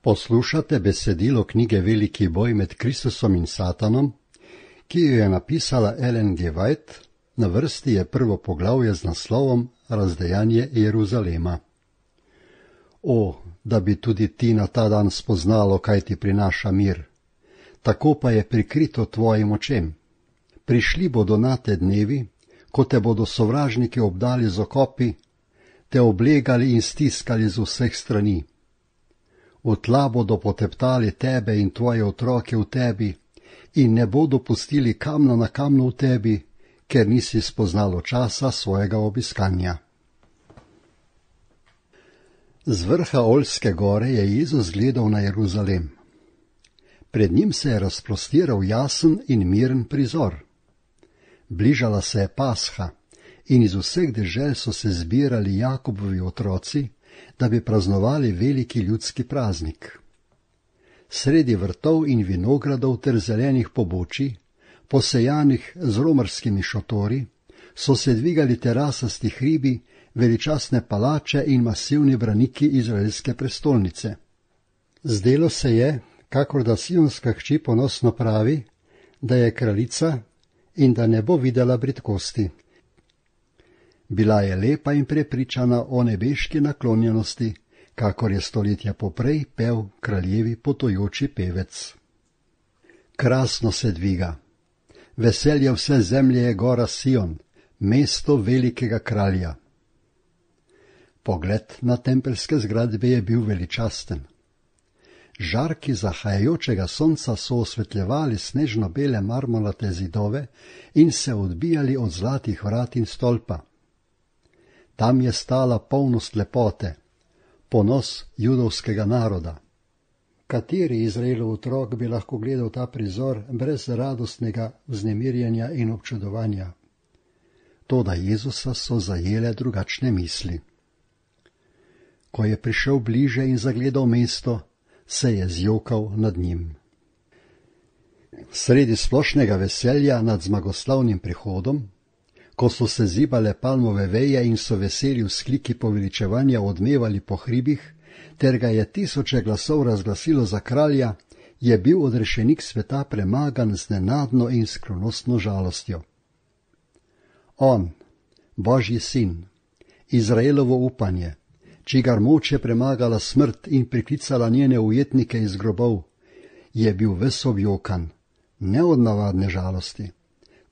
Poslušate besedilo knjige Veliki boj med Kristusom in Satanom, ki jo je napisala Ellen G. White. Na vrsti je prvo poglavje z naslovom Razdejanje Jeruzalema. O, da bi tudi ti na ta dan spoznalo, kaj ti prinaša mir. Tako pa je prikrito tvojim očem. Prišli bodo nate dnevi, ko te bodo sovražniki obdali z okopi, te oblegali in stiskali z vseh strani. V tla bodo poteptali tebe in tvoje otroke v tebi in ne bodo pustili kamna na kamnu v tebi, ker nisi spoznalo časa svojega obiskanja. Z vrha Oljske gore je Jezus gledal na Jeruzalem. Pred njim se je razprostiral jasen in miren prizor. Bližala se je Pasha in iz vseh dežel so se zbirali Jakobovi otroci, da bi praznovali veliki ljudski praznik. Sredi vrtov in vinogradov ter zelenih pobočij, posejanih z romarskimi šotori, so se dvigali terasasti hribi, veličastne palače in masivni braniki izraelske prestolnice. Zdelo se je, kakor da sionska hči ponosno pravi, da je kraljica in da ne bo videla bridkosti. Bila je lepa in prepričana o nebeški naklonjenosti, kakor je stoletja poprej pel kraljevi potujoči pevec. Krasno se dviga. Veselje vse zemlje je gora Sion, mesto velikega kralja. Pogled na tempeljske zgradbe je bil veličasten. Žarki zahajajočega sonca so osvetljevali snežno-bele marmorate zidove in se odbijali od zlatih vrat in stolpa. Tam je stala polnost lepote, ponos judovskega naroda. Kateri Izraelov otrok bi lahko gledal ta prizor brez radostnega vznemirjenja in občudovanja? Toda Jezusa so zajele drugačne misli. Ko je prišel bliže in zagledal mesto, se je zjokal nad njim. Sredi splošnega veselja nad zmagoslavnim prihodom, ko so se zibale palmove veje in so veseli vzkliki poveličevanja odmevali po hribih, ter ga je tisoče glasov razglasilo za kralja, je bil odrešenik sveta premagan z nenadno in skrivnostno žalostjo. On, Božji sin, Izraelovo upanje, čigar moč je premagala smrt in priklicala njene ujetnike iz grobov, je bil ves objokan, ne od navadne žalosti,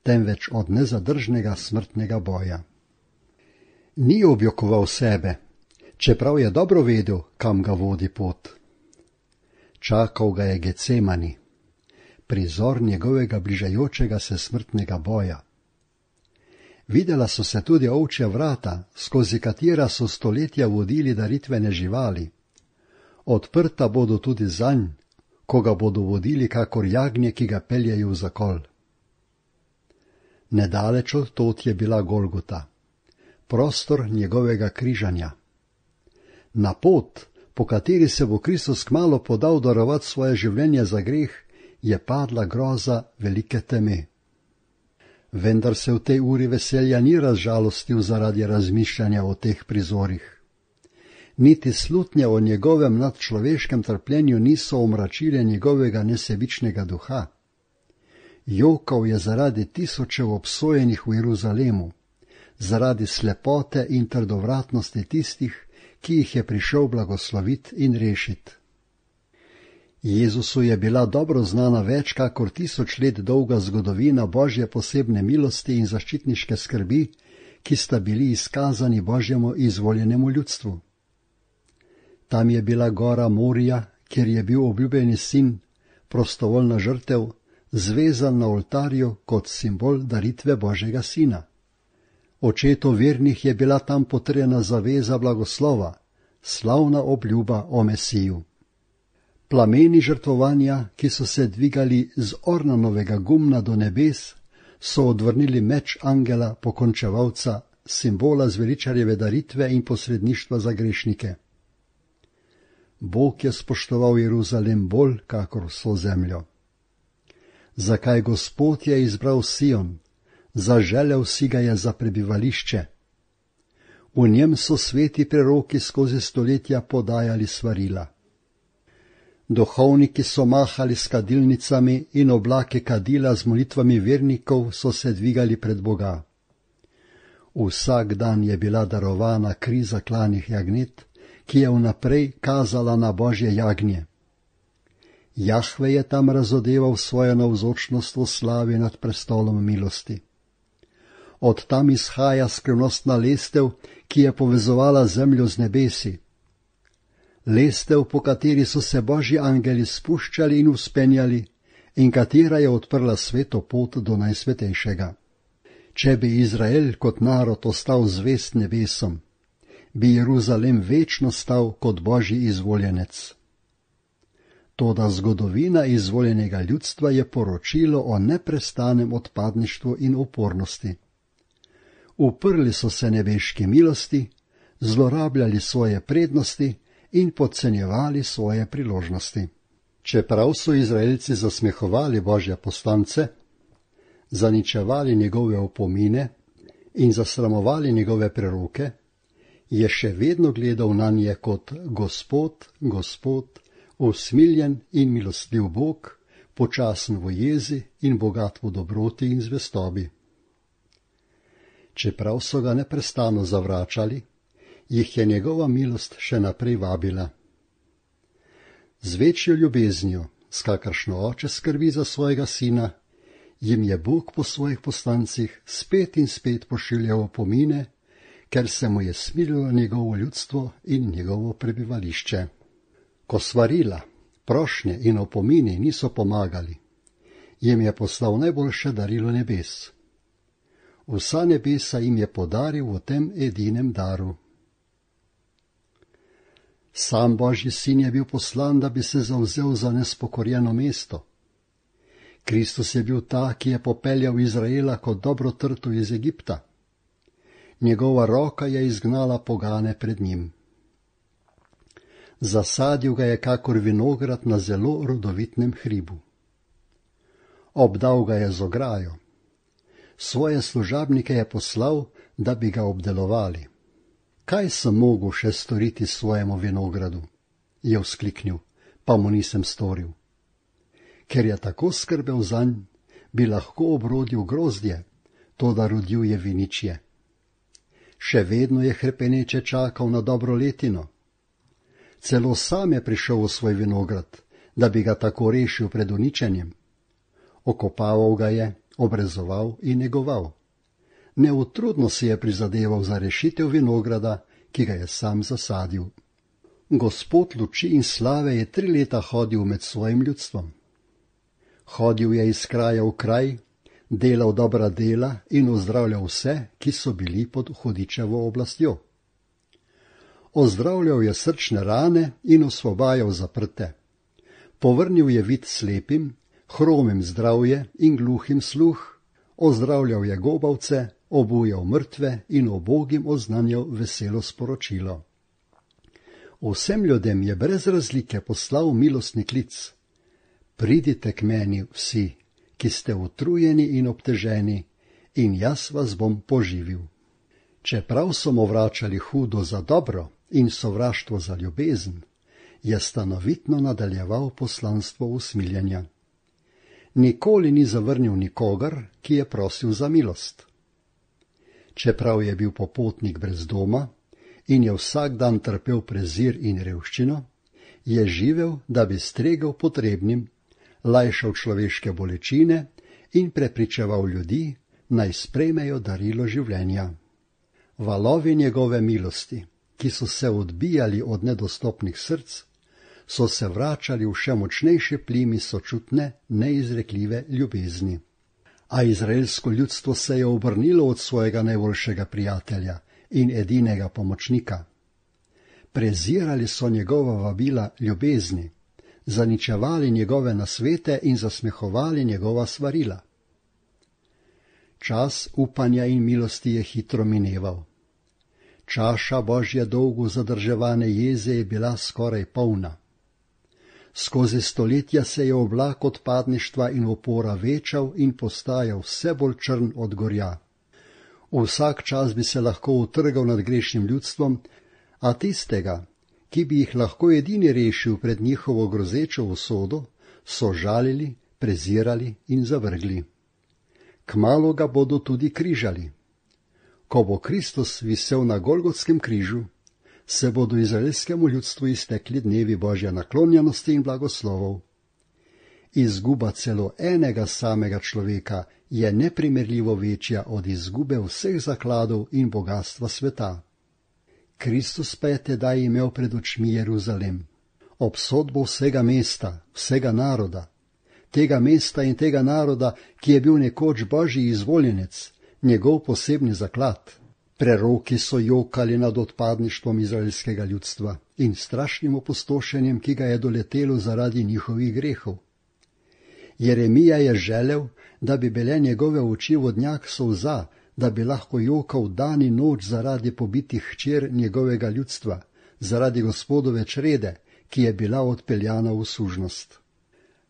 temveč od nezadržnega smrtnega boja. Ni objokoval sebe, čeprav je dobro vedel, kam ga vodi pot. Čakal ga je Getsemani, prizor njegovega bližajočega se smrtnega boja. Videla so se tudi ovčja vrata, skozi katera so stoletja vodili daritvene živali. Odprta bodo tudi zanj, ko ga bodo vodili kakor jagnje, ki ga peljejo v zakol. Nedaleč od tod je bila Golgota, prostor njegovega križanja. Na pot, po kateri se bo Kristus kmalu podal darovat svoje življenje za greh, je padla groza velike teme. Vendar se v tej uri veselja ni razžalostil zaradi razmišljanja o teh prizorih. Niti slutnje o njegovem nadčloveškem trpljenju niso omračile njegovega nesebičnega duha. Jokal je zaradi tisočev obsojenih v Jeruzalemu, zaradi slepote in trdovratnosti tistih, ki jih je prišel blagoslovit in rešit. Jezusu je bila dobro znana več kakor 1000 let dolga zgodovina Božje posebne milosti in zaščitniške skrbi, ki sta bili izkazani Božjemu izvoljenemu ljudstvu. Tam je bila gora Morija, kjer je bil obljubljeni sin, prostovoljna žrtev, zvezan na oltarju kot simbol daritve Božjega sina. Očetu vernih je bila tam potrjena zaveza blagoslova, slavna obljuba o Mesiju. Plameni žrtvovanja, ki so se dvigali z ornanovega gumna do nebes, so odvrnili meč angela pokončevalca, simbola zveličarjeve daritve in posredništva za grešnike. Bog je spoštoval Jeruzalem bolj kakor vso zemljo. Zakaj Gospod je izbral Sion, zaželel si ga je za prebivališče. V njem so sveti preroki skozi stoletja podajali svarila. Duhovniki so mahali s kadilnicami in oblake kadila z molitvami vernikov so se dvigali pred Boga. Vsak dan je bila darovana kriza klanih jagnet, ki je vnaprej kazala na Božje jagnje. Jahve je tam razodeval svojo navzočnost v slavi nad prestolom milosti. Od tam izhaja skrivnostna lestev, ki je povezovala zemljo z nebesi. Lestev, po kateri so se Božji angeli spuščali in vzpenjali in katera je odprla sveto pot do najsvetejšega. Če bi Izrael kot narod ostal zvest nebesom, bi Jeruzalem večno stal kot Božji izvoljenec. Toda zgodovina izvoljenega ljudstva je poročilo o neprestanem odpadništvu in upornosti. Uprli so se nebeški milosti, zlorabljali svoje prednosti in podcenjevali svoje priložnosti. Čeprav so Izraelci zasmehovali Božje poslance, zaničevali njegove opomine in zasramovali njegove preroke, je še vedno gledal nanje kot Gospod, Gospod, usmiljen in milostljiv Bog, počasen v jezi in bogat v dobroti in zvestobi. Čeprav so ga neprestano zavračali, jih je njegova milost še naprej vabila. Z večjo ljubeznijo, s kakršno oče skrbi za svojega sina, jim je Bog po svojih poslancih spet in spet pošiljal opomine, ker se mu je smililo njegovo ljudstvo in njegovo prebivališče. Ko svarila, prošnje in opomini niso pomagali, jim je poslal najboljše darilo nebes. Vsa nebesa jim je podaril v tem edinem daru. Sam Božji sin je bil poslan, da bi se zavzel za nespokorjeno mesto. Kristus je bil ta, ki je popeljal Izraela kot dobro trto iz Egipta. Njegova roka je izgnala pogane pred njim. Zasadil ga je kakor vinograd na zelo rodovitnem hribu. Obdal ga je z ograjo. Svoje služabnike je poslal, da bi ga obdelovali. Kaj sem mogel še storiti svojemu vinogradu? Je vzkliknil, pa mu nisem storil. Ker je tako skrbel zanj, bi lahko obrodil grozdje, toda rodil je viničje. Še vedno je hrepeneče čakal na dobro letino. Celo sam je prišel v svoj vinograd, da bi ga tako rešil pred uničenjem. Okopaval ga je, obrezoval in negoval. Neutrudno si je prizadeval za rešitev vinograda, ki ga je sam zasadil. Gospod luči in slave je 3 leta hodil med svojim ljudstvom. Hodil je iz kraja v kraj, delal dobra dela in ozdravljal vse, ki so bili pod hudičevo oblastjo. Ozdravljal je srčne rane in osvobajal zaprte. Povrnil je vid slepim, hromim zdravje in gluhim sluh, ozdravljal je gobavce, obujal mrtve in ubogim oznanjal veselo sporočilo. Vsem ljudem je brez razlike poslal milostni klic. Pridite k meni vsi, ki ste utrujeni in obteženi, in jaz vas bom poživil. Čeprav so mu vračali hudo za dobro in sovraštvo za ljubezen, je stanovitno nadaljeval poslanstvo usmiljenja. Nikoli ni zavrnil nikogar, ki je prosil za milost. Čeprav je bil popotnik brez doma in je vsak dan trpel prezir in revščino, je živel, da bi stregel potrebnim, lajšal človeške bolečine in prepričeval ljudi, naj sprejmejo darilo življenja. Valovi njegove milosti, ki so se odbijali od nedostopnih src, so se vračali v še močnejše plimi sočutne, neizrekljive ljubezni. A izraelsko ljudstvo se je obrnilo od svojega najboljšega prijatelja in edinega pomočnika. Prezirali so njegova vabila ljubezni, zaničevali njegove nasvete in zasmehovali njegova svarila. Čas upanja in milosti je hitro mineval. Čaša Božje dolgo zadrževane jeze je bila skoraj polna. Skozi stoletja se je oblak odpadništva in upora večal in postajal vse bolj črn od gorja. Vsak čas bi se lahko utrgal nad grešnim ljudstvom, a tistega, ki bi jih lahko edini rešil pred njihovo grozečo usodo, so žalili, prezirali in zavrgli. Kmalu ga bodo tudi križali. Ko bo Kristus visel na Golgotskem križu, se bodo izraelskemu ljudstvu iztekli dnevi Božje naklonjenosti in blagoslovov. Izguba celo enega samega človeka je neprimerljivo večja od izgube vseh zakladov in bogatstva sveta. Kristus pa je tedaj imel pred očmi Jeruzalem, obsodbo vsega mesta, vsega naroda, tega mesta in tega naroda, ki je bil nekoč Božji izvoljenec, njegov posebni zaklad. Preroki so jokali nad odpadništvom izraelskega ljudstva in strašnim opustošenjem, ki ga je doletelo zaradi njihovih grehov. Jeremija je želel, da bi bile njegove oči vodnjak solza, da bi lahko jokal dan in noč zaradi pobitih hčer njegovega ljudstva, zaradi Gospodove črede, ki je bila odpeljana v sužnost.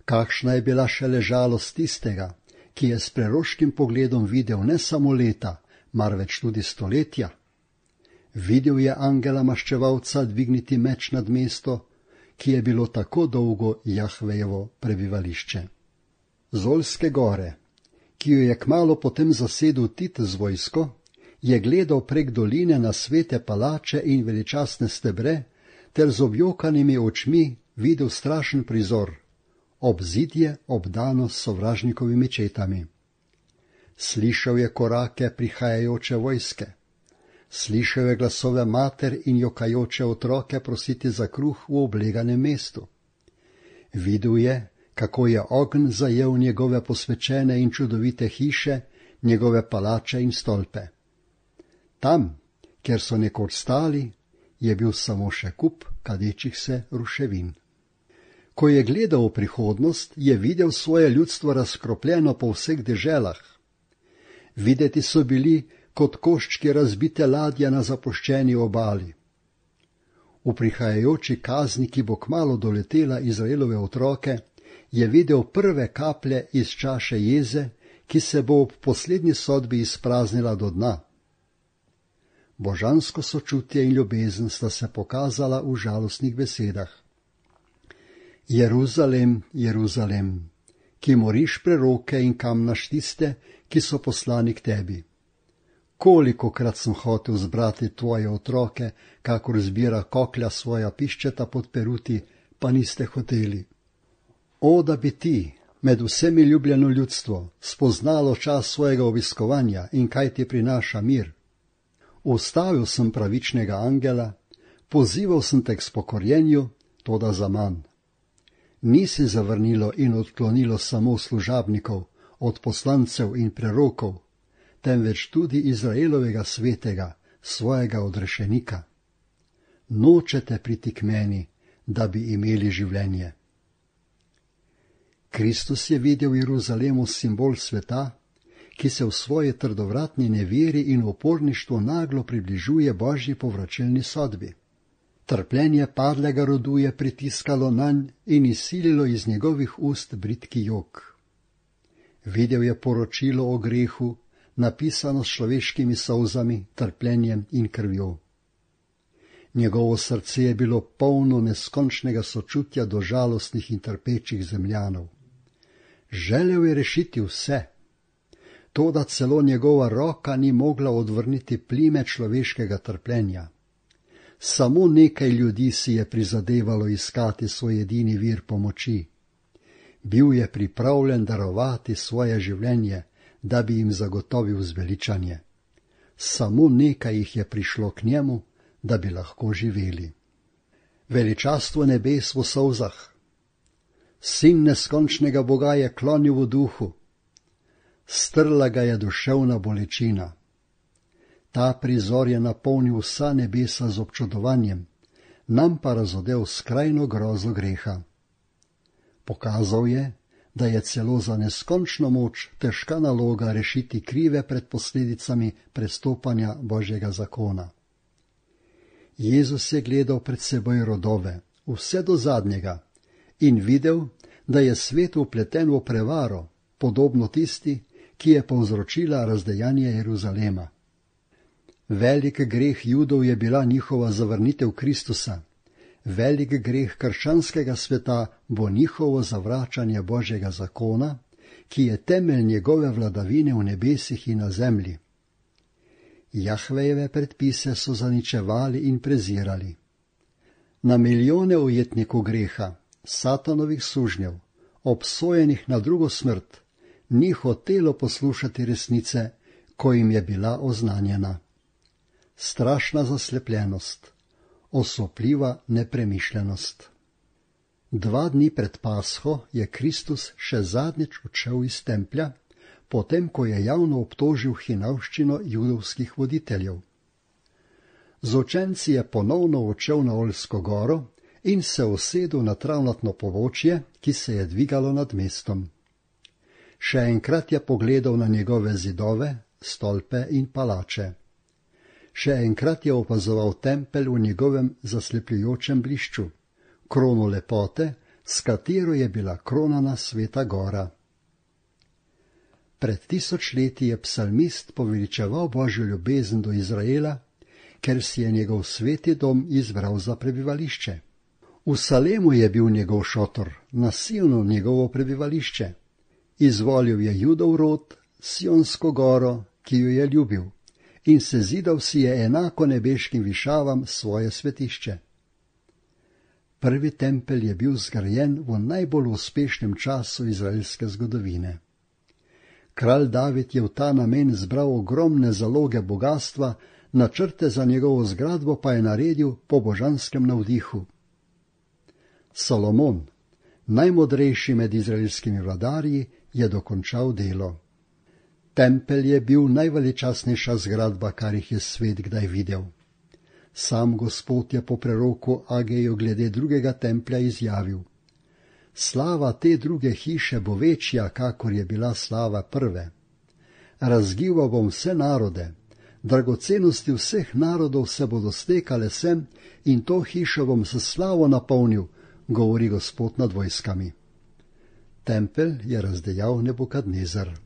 Kakšna je bila šele žalost tistega, ki je s preroškim pogledom videl ne samo leta, marveč tudi stoletja. Videl je angela maščevalca dvigniti meč nad mesto, ki je bilo tako dolgo Jahvejevo prebivališče. Z Olske gore, ki jo je kmalu potem zasedel Tit z vojsko, je gledal prek doline na svete palače in veličastne stebre, ter z objokanimi očmi videl strašen prizor, obzidje obdano s sovražnikovimi četami. Slišal je korake prihajajoče vojske, slišal je glasove mater in jokajoče otroke prositi za kruh v obleganem mestu. Videl je, kako je ogenj zajel njegove posvečene in čudovite hiše, njegove palače in stolpe. Tam, kjer so nekoč stali, je bil samo še kup kadečih se ruševin. Ko je gledal v prihodnost, je videl svoje ljudstvo razkropljeno po vseh deželah. Videti so bili kot koščki razbite ladje na zapuščeni obali. V prihajajoči kazni, ki bo kmalu doletela Izraelove otroke, je videl prve kaplje iz čaše jeze, ki se bo ob poslednji sodbi izpraznila do dna. Božansko sočutje in ljubezen sta se pokazala v žalostnih besedah. Jeruzalem, Jeruzalem, ki moriš preroke in kamnaš tiste, ki so poslani k tebi. Kolikokrat sem hotel zbrati tvoje otroke, kakor zbira koklja svoja piščeta pod peruti, pa niste hoteli. O, da bi ti, med vsemi ljubljeno ljudstvo, spoznalo čas svojega obiskovanja in kaj ti prinaša mir. Ustavil sem pravičnega angela, pozival sem te k spokorjenju, toda zaman. Nisi zavrnilo in odklonilo samo služabnikov, od poslancev in prerokov, temveč tudi Izraelovega svetega, svojega odrešenika. Nočete priti k meni, da bi imeli življenje. Kristus je videl Jeruzalemu simbol sveta, ki se v svoji trdovratni neveri in uporništvu naglo približuje Božji povračilni sodbi. Trpljenje padlega rodu je pritiskalo nanj in izsililo iz njegovih ust bridki jok. Videl je poročilo o grehu, napisano s človeškimi solzami, trpljenjem in krvjo. Njegovo srce je bilo polno neskončnega sočutja do žalostnih in trpečih zemljanov. Želel je rešiti vse, toda celo njegova roka ni mogla odvrniti plime človeškega trpljenja. Samo nekaj ljudi si je prizadevalo iskati svoj edini vir pomoči. Bil je pripravljen darovati svoje življenje, da bi jim zagotovil zveličanje. Samo nekaj jih je prišlo k njemu, da bi lahko živeli. Veličastvo nebes v solzah. Sin neskončnega Boga je klonil v duhu. Strla ga je duševna bolečina. Ta prizor je napolnil vsa nebesa z občudovanjem, nam pa razodel skrajno grozo greha. Pokazal je, da je celo za neskončno moč težka naloga rešiti krive pred posledicami prestopanja Božjega zakona. Jezus je gledal pred seboj rodove, vse do zadnjega, in videl, da je svet vpleten v prevaro, podobno tisti, ki je povzročila razdejanje Jeruzalema. Velik greh Judov je bila njihova zavrnitev Kristusa, Velik greh krščanskega sveta bo njihovo zavračanje Božjega zakona, ki je temelj njegove vladavine v nebesih in na zemlji. Jahvejeve predpise so zaničevali in prezirali. Na milijone ujetnikov greha, satanovih sužnjev, obsojenih na drugo smrt, ni hotelo poslušati resnice, ko jim je bila oznanjena. Strašna zaslepljenost, osupljiva nepremišljenost. 2 dni pred Pasho je Kristus še zadnjič odšel iz templja, potem ko je javno obtožil hinavščino judovskih voditeljev. Z učenci je ponovno odšel na Oljsko goro in se usedel na travnatno pobočje, ki se je dvigalo nad mestom. Še enkrat je pogledal na njegove zidove, stolpe in palače. Še enkrat je opazoval tempelj v njegovem zaslepljujočem blišču, krono lepote, s katero je bila kronana Sveta gora. Pred 1000 leti je psalmist poveličeval Božjo ljubezen do Izraela, ker si je njegov sveti dom izbral za prebivališče. V Salemu je bil njegov šotor, na Sionu njegovo prebivališče. Izvolil je Judov rod, Sionsko goro, ki jo je ljubil, in sezidal si je enako nebeškim višavam svoje svetišče. Prvi tempelj je bil zgrajen v najbolj uspešnem času izraelske zgodovine. Kralj David je v ta namen zbral ogromne zaloge bogatstva, načrte za njegovo zgradbo pa je naredil po božanskem navdihu. Salomon, najmodrejši med izraelskimi vladarji, je dokončal delo. Tempelj je bil najveličastnejša zgradba, kar jih je svet kdaj videl. Sam Gospod je po preroku Ageju glede drugega templja izjavil: slava te druge hiše bo večja, kakor je bila slava prve. Razgival bom vse narode, dragocenosti vseh narodov se bodo stekale sem in to hišo bom s slavo napolnil, govori Gospod nad vojskami. Tempelj je razdejal Nebukadnezar.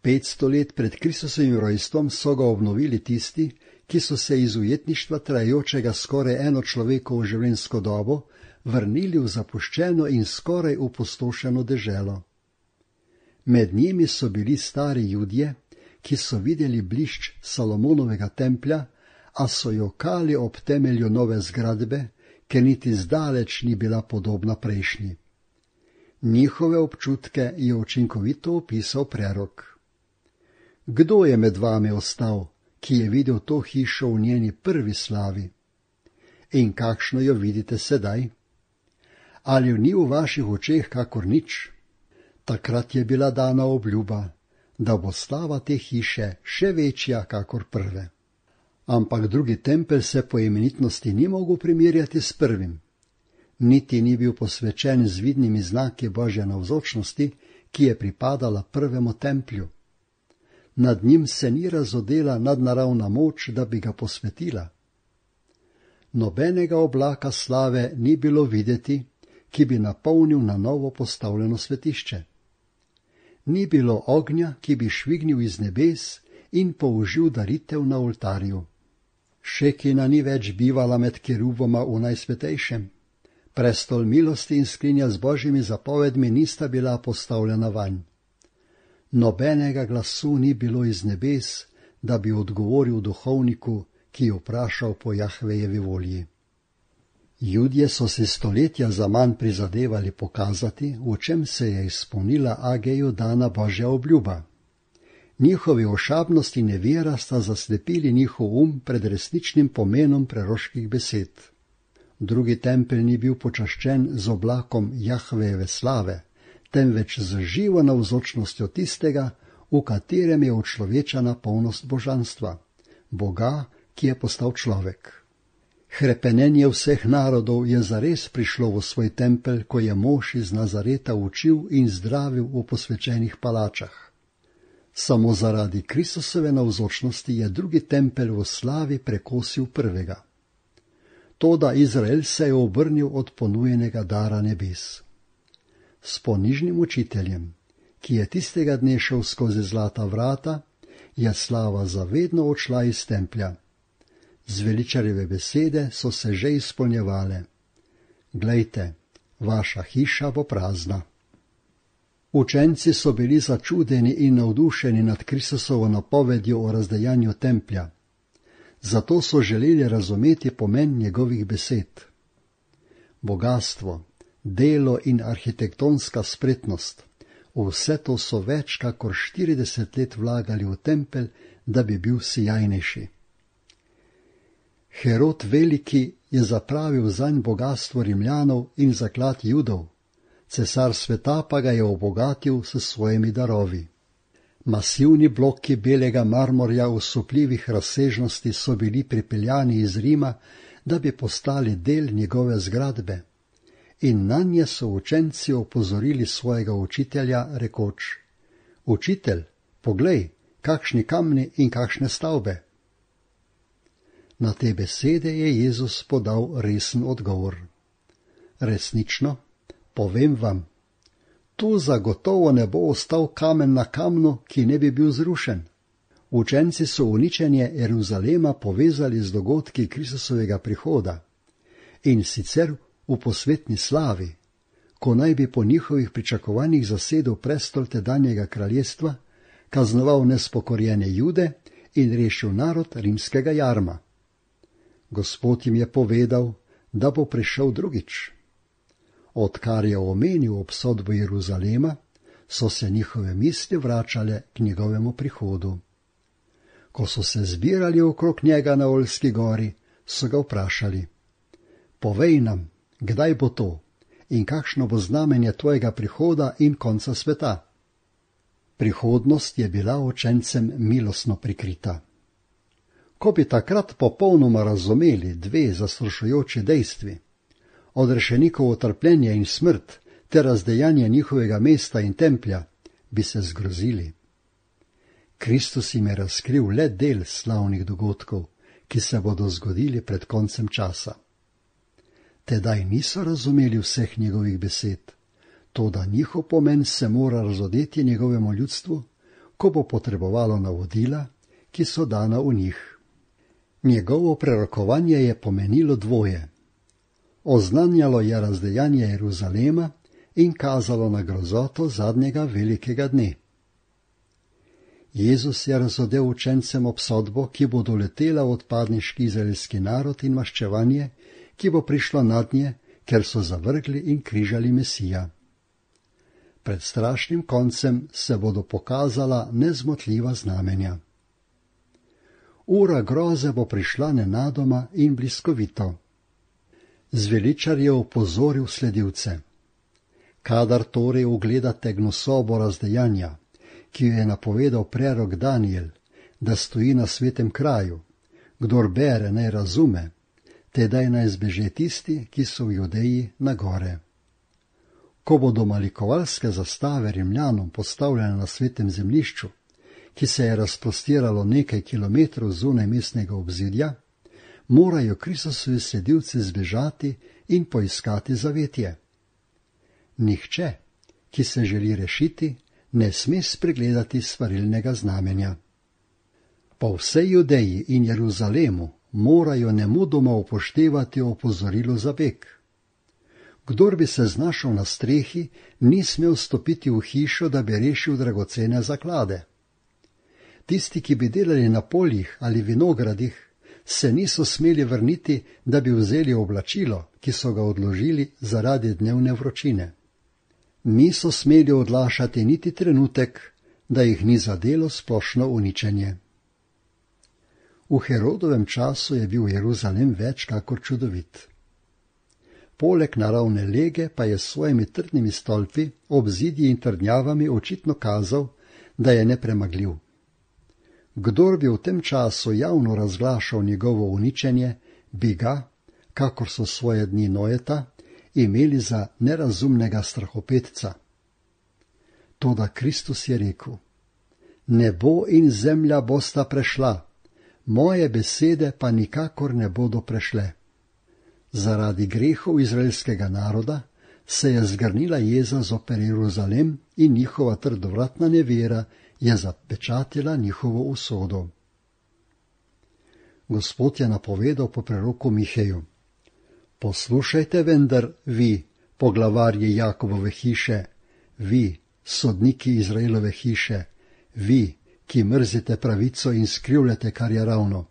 500 let pred Kristusovim rojstvom so ga obnovili tisti, ki so se iz ujetništva trajajočega skoraj eno človekovo življenjsko dobo vrnili v zapuščeno in skoraj opustošeno deželo. Med njimi so bili stari Judje, ki so videli blišč Salomonovega templja, a so jokali ob temelju nove zgradbe, ker niti zdaleč ni bila podobna prejšnji. Njihove občutke je učinkovito opisal prerok. Kdo je med vami ostal, ki je videl to hišo v njeni prvi slavi? In kakšno jo vidite sedaj? Ali ni v vaših očeh kakor nič? Takrat je bila dana obljuba, da bo slava te hiše še večja kakor prve. Ampak drugi tempelj se po imenitnosti ni mogel primerjati s prvim. Niti ni bil posvečen z vidnimi znaki Božje navzočnosti, ki je pripadala prvemu templju. Nad njim se ni razodela nadnaravna moč, da bi ga posvetila. Nobenega oblaka slave ni bilo videti, ki bi napolnil na novo postavljeno svetišče. Ni bilo ognja, ki bi švignil iz nebes in použil daritev na oltarju. Šekina ni več bivala med keruboma v najsvetejšem. Prestol milosti in skrinja z Božjimi zapovedmi nista bila postavljena vanj. Nobenega glasu ni bilo iz nebes, da bi odgovoril duhovniku, ki je vprašal po Jahvejevi volji. Judje so si stoletja zaman prizadevali pokazati, v čem se je izpolnila Ageju dana Božja obljuba. Njihovi ošabnost in nevera sta zaslepili njihov pred resničnim pomenom preroških besed. Drugi tempelj ni bil počaščen z oblakom Jahvejeve slave, temveč z živo navzočnostjo tistega, v katerem je učlovečana polnost božanstva, Boga, ki je postal človek. Hrepenenje vseh narodov je zares prišlo v svoj tempelj, ko je mož iz Nazareta učil in zdravil v posvečenih palačah. Samo zaradi Kristusove navzočnosti je drugi tempelj v slavi prekosil prvega. Toda Izrael se je obrnil od ponujenega dara nebes. S ponižnim učiteljem, ki je tistega dne šel skozi zlata vrata, je slava zavedno odšla iz templja. Zveličarjeve besede so se že izpolnjevale. glejte, vaša hiša bo prazna. Učenci so bili začudeni in navdušeni nad Kristusovo napovedjo o razdejanju templja. Zato so želeli razumeti pomen njegovih besed. Bogastvo, delo in arhitektonska spretnost, vse to so več kakor 40 let vlagali v tempelj, da bi bil sijajnejši. Herod Veliki je zapravil zanj bogastvo Rimljanov in zaklad Judov, cesar sveta pa ga je obogatil s svojimi darovi. Masivni bloki belega marmorja osupljivih razsežnosti so bili pripeljani iz Rima, da bi postali del njegove zgradbe, in nanje so učenci opozorili svojega učitelja, rekoč: Učitelj, poglej, kakšni kamni in kakšne stavbe. Na te besede je Jezus podal resen odgovor. Resnično, povem vam, tu zagotovo ne bo ostal kamen na kamnu, ki ne bi bil zrušen. Učenci so uničenje Jeruzalema povezali z dogodki Kristusovega prihoda, in sicer v posvetni slavi, ko naj bi po njihovih pričakovanjih zasedel prestol tedanjega kraljestva, kaznoval nespokorjene Jude in rešil narod rimskega jarma. Gospod jim je povedal, da bo prišel drugič. Odkar je omenil obsodbo Jeruzalema, so se njihove misli vračale k njegovemu prihodu. Ko so se zbirali okrog njega na Oljski gori, so ga vprašali: Povej nam, kdaj bo to in kakšno bo znamenje tvojega prihoda in konca sveta? Prihodnost je bila učencem milostno prikrita. Ko bi takrat popolnoma razumeli dve zastrašujoči dejstvi, odrešenikovo trpljenje in smrt ter razdejanje njihovega mesta in templja, bi se zgrozili. Kristus jim je razkril le del slavnih dogodkov, ki se bodo zgodili pred koncem časa. Tedaj niso razumeli vseh njegovih besed, toda njihov pomen se mora razodeti njegovemu ljudstvu, ko bo potrebovalo navodila, ki so dana v njih. Njegovo prerokovanje je pomenilo dvoje. Oznanjalo je razdejanje Jeruzalema in kazalo na grozoto zadnjega velikega dne. Jezus je razodel učencem obsodbo, ki bo doletela odpadniški izraelski narod in maščevanje, ki bo prišlo nadnje, ker so zavrgli in križali Mesija. Pred strašnim koncem se bodo pokazala nezmotljiva znamenja. Ura groze bo prišla nenadoma in bliskovito. Zveličar je opozoril sledilce: Kadar torej ugledate gnusobo razdejanja, ki jo je napovedal prerok Danijel, da stoji na svetem kraju, kdor bere, naj razume, tedaj naj zbeže tisti, ki so v Judeji na gore. Ko bodo malikovalske zastave Rimljanom postavljene na svetem zemljišču, ki se je razprostiralo nekaj kilometrov zunaj mestnega obzidja, morajo Kristusovi sledilci zbežati in poiskati zavetje. Nihče, ki se želi rešiti, ne sme spregledati svarilnega znamenja. Po vsej Judeji in Jeruzalemu morajo nemudoma upoštevati opozorilo za beg. Kdor bi se znašel na strehi, ni smel stopiti v hišo, da bi rešil dragocene zaklade. Tisti, ki bi delali na poljih ali vinogradih, se niso smeli vrniti, da bi vzeli oblačilo, ki so ga odložili zaradi dnevne vročine. Niso smeli odlašati niti trenutek, da jih ni zadelo splošno uničenje. V Herodovem času je bil Jeruzalem več kakor čudovit. Poleg naravne lege pa je s svojimi trdnimi stolpi, obzidji in trdnjavami očitno kazal, da je nepremagljiv. Kdor bi v tem času javno razglašal njegovo uničenje, bi ga, kakor so svoje dni Nojeta, imeli za nerazumnega strahopetca. Toda Kristus je rekel: Nebo in zemlja bosta prešla, moje besede pa nikakor ne bodo prešle. Zaradi grehov izraelskega naroda se je zgrnila jeza zoper Jeruzalem in njihova trdovratna nevera je zapečatila njihovo usodo. Gospod je napovedal po preroku Miheju: Poslušajte vendar, vi, poglavarji Jakobove hiše, vi, sodniki Izraelove hiše, vi, ki mrzite pravico in skrivljate, kar je ravno,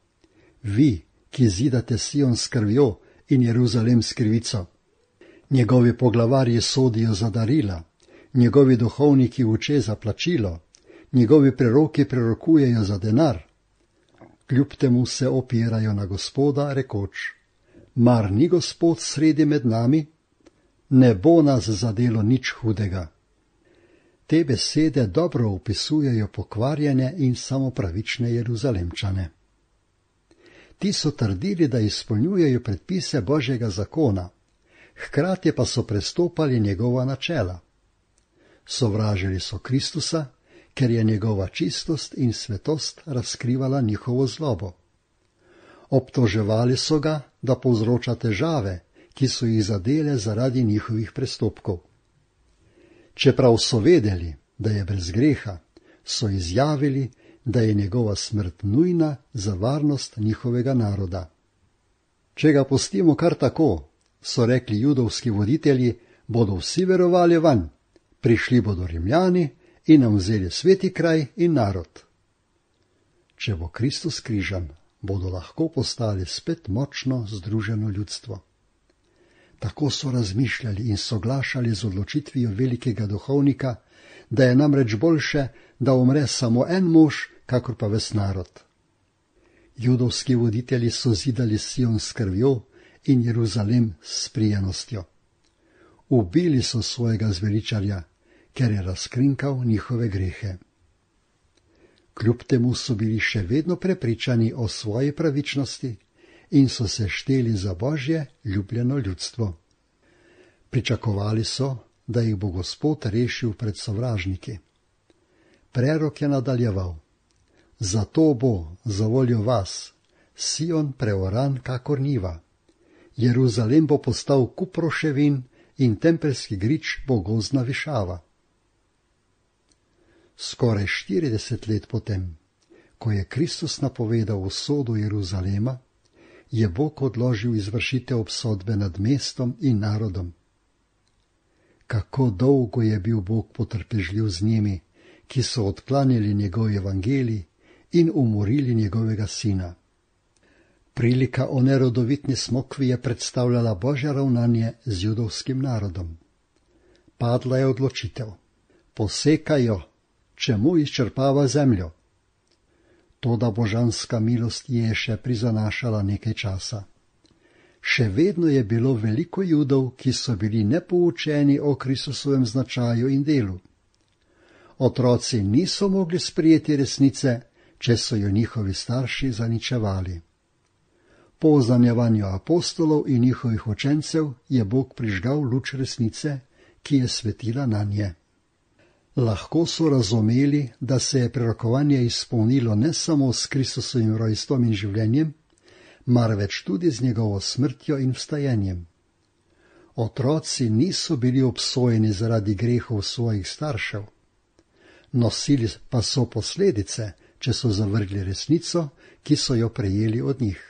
vi, ki zidate Sion s krvjo in Jeruzalem s krivico. Njegovi poglavarji sodijo za darila, njegovi duhovniki uče za plačilo, njegovi preroki prerokujejo za denar. Kljub temu se opirajo na Gospoda, rekoč: mar ni Gospod sredi med nami? Ne bo nas zadelo nič hudega. Te besede dobro opisujejo pokvarjene in samopravične Jeruzalemčane. Ti so trdili, da izpolnjujejo predpise Božjega zakona, hkrati pa so prestopali njegova načela. Sovražili so Kristusa, ker je njegova čistost in svetost razkrivala njihovo zlobo. Obtoževali so ga, da povzroča težave, ki so jih zadele zaradi njihovih prestopkov. Čeprav so vedeli, da je brez greha, so izjavili, da je njegova smrt nujna za varnost njihovega naroda. Če ga pustimo kar tako, so rekli judovski voditelji, bodo vsi verovali vanj, prišli bodo Rimljani in nam vzeli sveti kraj in narod. Če bo Kristus križan, bodo lahko postali spet močno združeno ljudstvo. Tako so razmišljali in soglašali z odločitvijo velikega duhovnika, da je namreč boljše, da umre samo en mož, kakor pa ves narod. Judovski voditelji so zidali Sion s krvjo in Jeruzalem s prijenostjo. Ubili so svojega zveličarja, ker je razkrinkal njihove grehe. Kljub temu so bili še vedno prepričani o svoji pravičnosti in so se šteli za Božje ljubljeno ljudstvo. Pričakovali so, da jih bo Gospod rešil pred sovražniki. Prerok je nadaljeval: zato bo, zavoljo vas, Sion preoran kakor njiva. Jeruzalem bo postal kup roševin in tempeljski grič bo gozdna višava. Skoraj 40 let potem, ko je Kristus napovedal usodo Jeruzalema, je Bog odložil izvršitev obsodbe nad mestom in narodom. Kako dolgo je bil Bog potrpežljiv z njimi, ki so odklanjali njegov evangelij in umorili njegovega sina. Prilika o nerodovitni smokvi je predstavljala Božje ravnanje z judovskim narodom. Padla je odločitev: posekaj jo, čemu izčrpava zemljo. Toda božanska milost je še prizanašala nekaj časa. Še vedno je bilo veliko Judov, ki so bili nepoučeni o Kristusovem značaju in delu. Otroci niso mogli sprijeti resnice, če so jo njihovi starši zaničevali. Po oznanjevanju apostolov in njihovih učencev je Bog prižgal luč resnice, ki je svetila nanje. Lahko so razumeli, da se je prerokovanje izpolnilo ne samo s Kristusovim rojstvom in življenjem, marveč tudi z njegovo smrtjo in vstajenjem. Otroci niso bili obsojeni zaradi grehov svojih staršev. Nosili pa so posledice, če so zavrgli resnico, ki so jo prejeli od njih.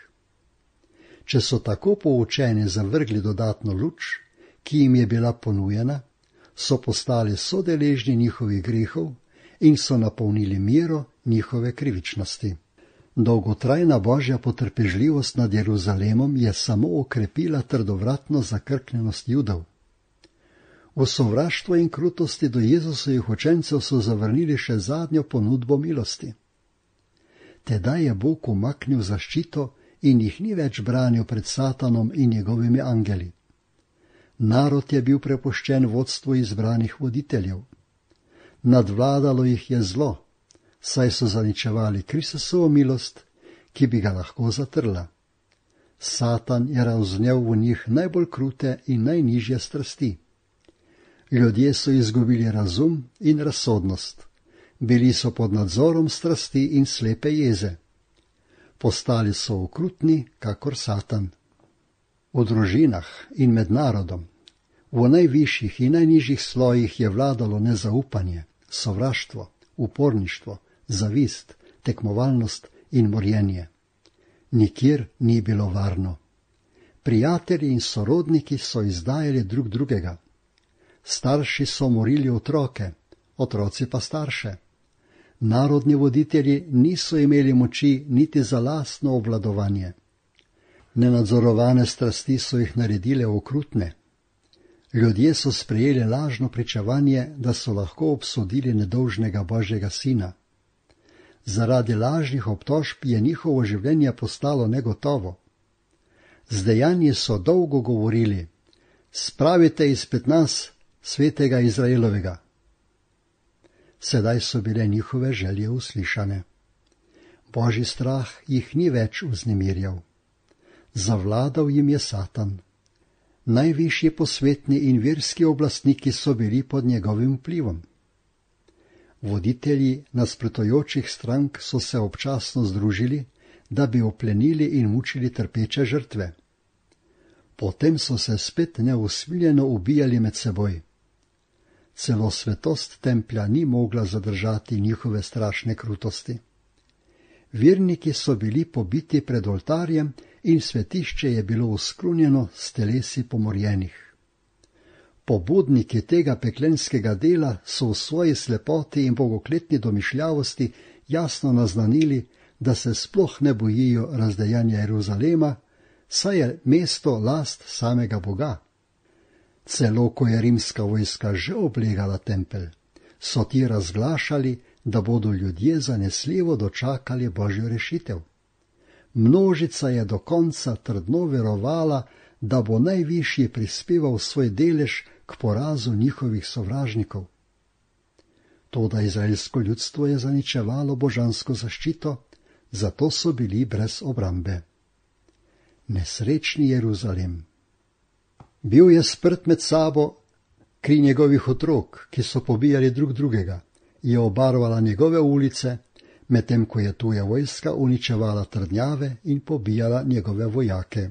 Če so tako poučeni zavrgli dodatno luč, ki jim je bila ponujena, so postali sodeležni njihovih grehov in so napolnili mero njihove krivičnosti. Dolgotrajna Božja potrpežljivost nad Jeruzalemom je samo okrepila trdovratno zakrknjenost Judov. V sovraštvo in krutosti do Jezusovih učencev so zavrnili še zadnjo ponudbo milosti. Tedaj je Bog umaknil zaščito in jih ni več branil pred Satanom in njegovimi angeli. Narod je bil prepuščen vodstvu izbranih voditeljev. Nadvladalo jih je zlo, saj so zaničevali Kristusovo milost, ki bi ga lahko zatrla. Satan je razvnel v njih najbolj krute in najnižje strasti. Ljudje so izgubili razum in razsodnost. Bili so pod nadzorom strasti in slepe jeze. Postali so okrutni, kakor Satan. V družinah in med narodom, v najvišjih in najnižjih slojih je vladalo nezaupanje, sovraštvo, uporništvo, zavist, tekmovalnost in morjenje. Nikjer ni bilo varno. Prijatelji in sorodniki so izdajali drug drugega. Starši so morili otroke, otroci pa starše. Narodni voditelji niso imeli moči niti za lastno obvladovanje. Nenadzorovane strasti so jih naredile okrutne. Ljudje so sprejeli lažno pričevanje, da so lahko obsodili nedolžnega Božjega sina. Zaradi lažnih obtožb je njihovo življenje postalo negotovo. Z dejanji so dolgo govorili: spravite izpred nas svetega Izraelovega. Sedaj so bile njihove želje uslišane. Božji strah jih ni več vznemirjal. Zavladal jim je Satan. Najvišji posvetni in verski oblastniki so bili pod njegovim vplivom. Voditelji nasprotujočih strank so se občasno združili, da bi oplenili in mučili trpeče žrtve. Potem so se spet neusmiljeno ubijali med seboj. Celo svetost templja ni mogla zadržati njihove strašne krutosti. Verniki so bili pobiti pred oltarjem in svetišče je bilo uskrunjeno s telesi pomorjenih. Pobudniki tega peklenskega dela so v svoji slepoti in bogokletni domišljavosti jasno naznanili, da se sploh ne bojijo razdejanja Jeruzalema, saj je mesto last samega Boga. Celo ko je rimska vojska že oblegala tempelj, so ti razglašali, da bodo ljudje zanesljivo dočakali Božjo rešitev. Množica je do konca trdno verovala, da bo najvišji prispeval svoj delež k porazu njihovih sovražnikov. Toda izraelsko ljudstvo je zaničevalo božansko zaščito, zato so bili brez obrambe. Nesrečni Jeruzalem. Bil je sprt med sabo, kri njegovih otrok, ki so pobijali drug drugega, je obarvala njegove ulice, medtem ko je tuja vojska uničevala trdnjave in pobijala njegove vojake.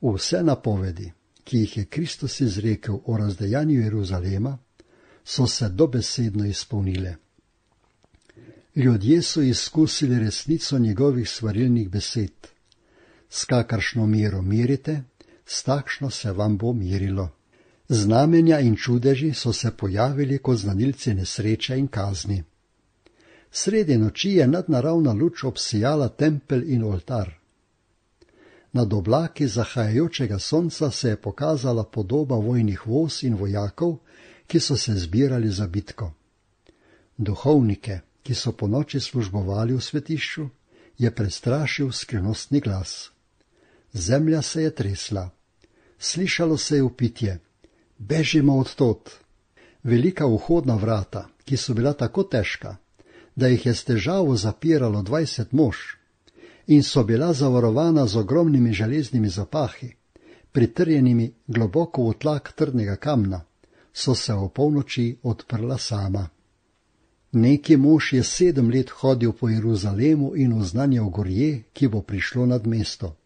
Vse napovedi, ki jih je Kristus izrekel o razdejanju Jeruzalema, so se dobesedno izpolnile. Ljudje so izkusili resnico njegovih svarilnih besed. S kakršno mero merite, s takšno se vam bo merilo. Znamenja in čudeži so se pojavili kot znanilci nesreče in kazni. Sredi noči je nadnaravna luč obsijala tempelj in oltar. Nad oblaki zahajajočega sonca se je pokazala podoba vojnih voz in vojakov, ki so se zbirali za bitko. Duhovnike, ki so ponoči službovali v svetišču, je prestrašil skrivnostni glas. Zemlja se je tresla. Slišalo se je vpitje: bežimo od tod. Velika vhodna vrata, ki so bila tako težka, da jih je s težavo zapiralo 20 mož, in so bila zavarovana z ogromnimi železnimi zapahi, pritrjenimi globoko v tlak trdnega kamna, so se o polnoči odprla sama. Neki mož je 7 let hodil po Jeruzalemu in oznanjal gorje, ki bo prišlo nad mesto.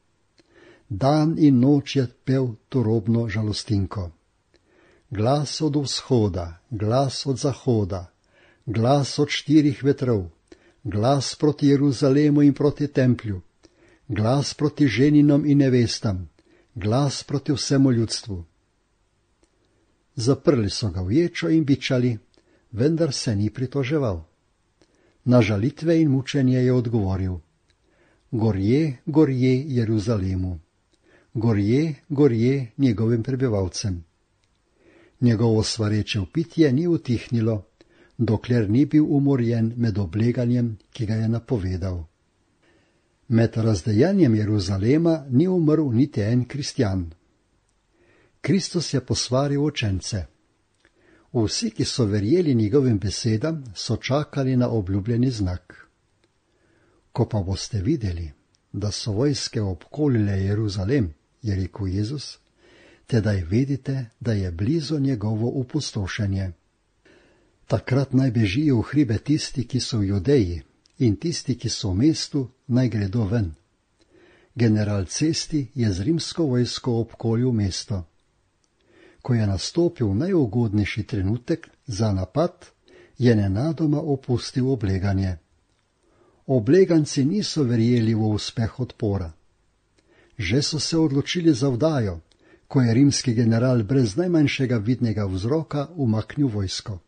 Dan in noč je pel turobno žalostinko. Glas od vzhoda, glas od zahoda, glas od 4 vetrov, glas proti Jeruzalemu in proti templju, glas proti ženinom in nevestam, glas proti vsemu ljudstvu. Zaprli so ga v ječo in bičali, vendar se ni pritoževal. Na žalitve in mučenje je odgovoril: gorje, gorje Jeruzalemu, gorje, gorje njegovim prebivalcem. Njegovo svareče vpitje ni utihnilo, dokler ni bil umorjen med obleganjem, ki ga je napovedal. Med razdejanjem Jeruzalema ni umrl niti en kristjan. Kristus je posvaril učence. Vsi, ki so verjeli njegovim besedam, so čakali na obljubljeni znak. Ko pa boste videli, da so vojske obkolile Jeruzalem, je rekel Jezus, tedaj vedite, da je blizu njegovo opustošenje. Takrat naj bežijo v hribe tisti, ki so v Judeji, in tisti, ki so v mestu, naj gredo ven. General Cesti je z rimsko vojsko obkolil mesto. Ko je nastopil najugodnejši trenutek za napad, je nenadoma opustil obleganje. Obleganci niso verjeli v uspeh odpora. Že so se odločili za vdajo, ko je rimski general brez najmanjšega vidnega vzroka umaknil vojsko.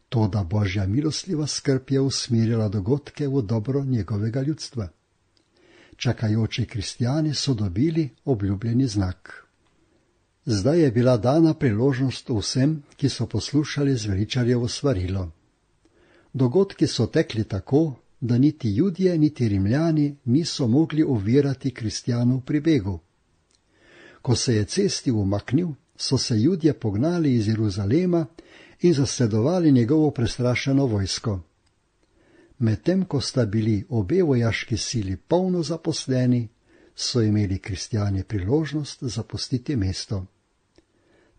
Toda Božja milostljiva skrb je usmerila dogodke v dobro njegovega ljudstva. Čakajoči kristjani so dobili obljubljeni znak. Zdaj je bila dana priložnost vsem, ki so poslušali zveličarjevo svarilo. Dogodki so tekli tako, da niti Judje, niti Rimljani niso mogli ovirati kristjanov pri begu. Ko se je cesti umaknil, so se Judje pognali iz Jeruzalema in zasledovali njegovo prestrašeno vojsko. Medtem ko sta bili obe vojaški sili polno zaposleni, so imeli kristjani priložnost zapustiti mesto.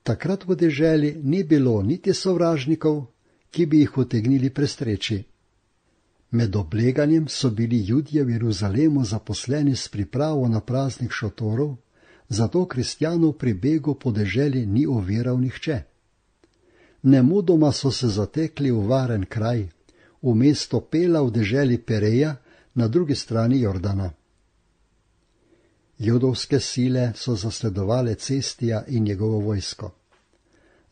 Takrat v deželi ni bilo niti sovražnikov, ki bi jih utegnili prestreči. Med obleganjem so bili Judje v Jeruzalemu zaposleni s pripravo na praznik šotorov, zato kristjanov pri begu po deželi ni oviral nihče. Nemudoma so se zatekli v varen kraj, v mesto Pela v deželi Pereja na drugi strani Jordana. Judovske sile so zasledovale Cestija in njegovo vojsko.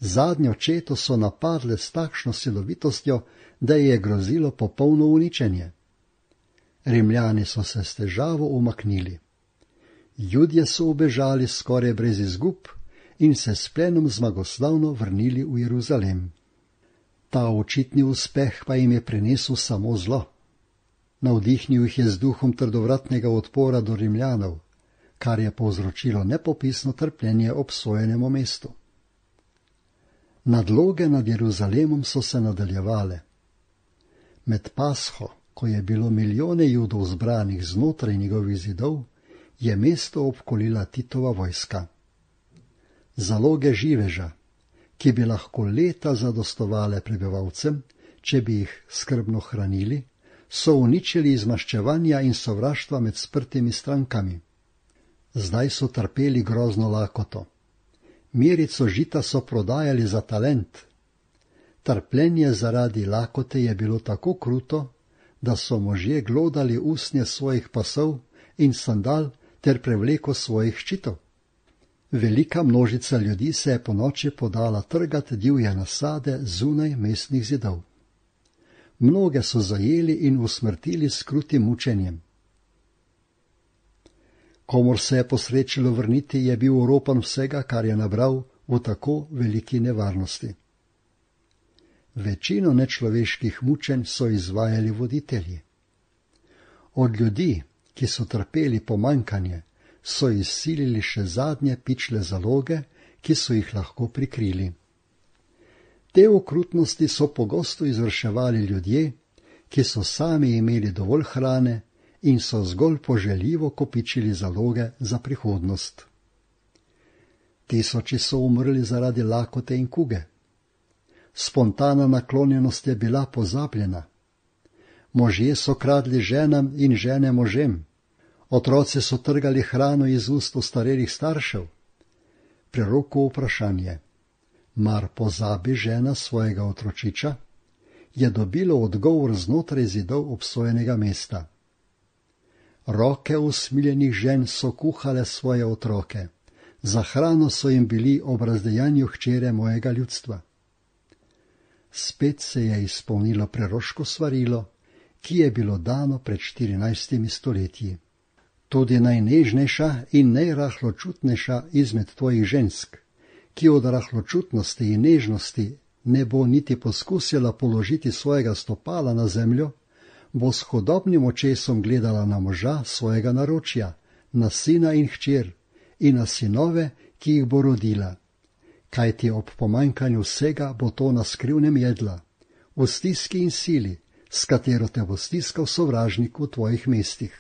Zadnjo četo so napadle s takšno silovitostjo, da je grozilo popolno uničenje. Rimljani so se s težavo umaknili. Judje so ubežali skoraj brez izgub in se s plenom zmagoslavno vrnili v Jeruzalem. Ta očitni uspeh pa jim je prinesel samo zlo. Navdihnil jih je z duhom trdovratnega odpora do Rimljanov, kar je povzročilo nepopisno trpljenje obsojenemu mestu. Nadloge nad Jeruzalemom so se nadaljevale. Med Pasho, ko je bilo milijone Judov zbranih znotraj njegovih zidov, je mesto obkolila Titova vojska. Zaloge živeža, ki bi lahko leta zadostovale prebivalcem, če bi jih skrbno hranili, so uničili iz maščevanja in sovraštva med sprtimi strankami. Zdaj so trpeli grozno lakoto. Mirico žita so prodajali za talent. Trpljenje zaradi lakote je bilo tako kruto, da so možje glodali usnje svojih pasov in sandal ter prevleko svojih ščitov. Velika množica ljudi se je ponoči podala trgat divje nasade zunaj mestnih zidov. Mnoge so zajeli in usmrtili s krutim mučenjem. Komur se je posrečilo vrniti, je bil oropan vsega, kar je nabral v tako veliki nevarnosti. Večino nečloveških mučenj so izvajali voditelji. Od ljudi, ki so trpeli pomanjkanje, so izsilili še zadnje pičle zaloge, ki so jih lahko prikrili. Te okrutnosti so pogosto izvrševali ljudje, ki so sami imeli dovolj hrane in so zgolj poželjivo kopičili zaloge za prihodnost. Tisoči so umrli zaradi lakote in kuge. Spontana naklonjenost je bila pozabljena. Možje so kradli ženam in žene možem. Otroci so trgali hrano iz ust ostarelih staršev. Prerokov vprašanje, mar pozabi žena svojega otročiča, je dobilo odgovor znotraj zidov obsojenega mesta. Roke usmiljenih žen so kuhale svoje otroke, za hrano so jim bili ob razdejanju hčere mojega ljudstva. Spet se je izpolnilo preroško svarilo, ki je bilo dano pred 14 stoletji. Tudi najnežnejša in najrahločutnejša izmed tvojih žensk, ki od rahločutnosti in nežnosti ne bo niti poskusila položiti svojega stopala na zemljo, bo s hodobnim očesom gledala na moža svojega naročja, na sina in hčer in na sinove, ki jih bo rodila. Kajti ob pomanjkanju vsega bo to na skrivnem jedla, v stiski in sili, s katero te bo stiskal sovražnik v tvojih mestih.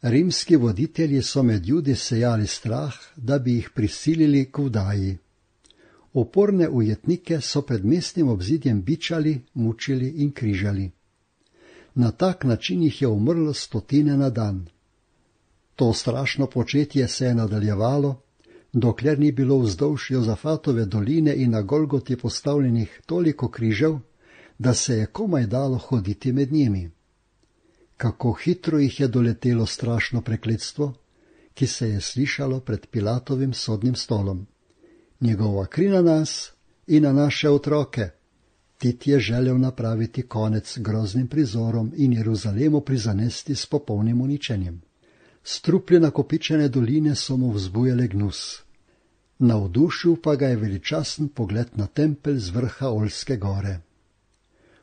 Rimski voditelji so med Judi sejali strah, da bi jih prisilili k vdaji. Oporne ujetnike so pred mestnim obzidjem bičali, mučili in križali. Na tak način jih je umrlo 100 na dan. To strašno početje se je nadaljevalo, dokler ni bilo vzdolž Jozafatove doline in na Golgoti postavljenih toliko križev, da se je komaj dalo hoditi med njimi. Kako hitro jih je doletelo strašno prekletstvo, ki se je slišalo pred Pilatovim sodnim stolom. Njegova kri na nas in na naše otroke. Tit je želel napraviti konec groznim prizorom in Jeruzalemu prizanesti s popolnim uničenjem. Struplje nakopičene doline so mu vzbujale gnus. Navdušil pa ga je veličasten pogled na tempelj z vrha Oljske gore.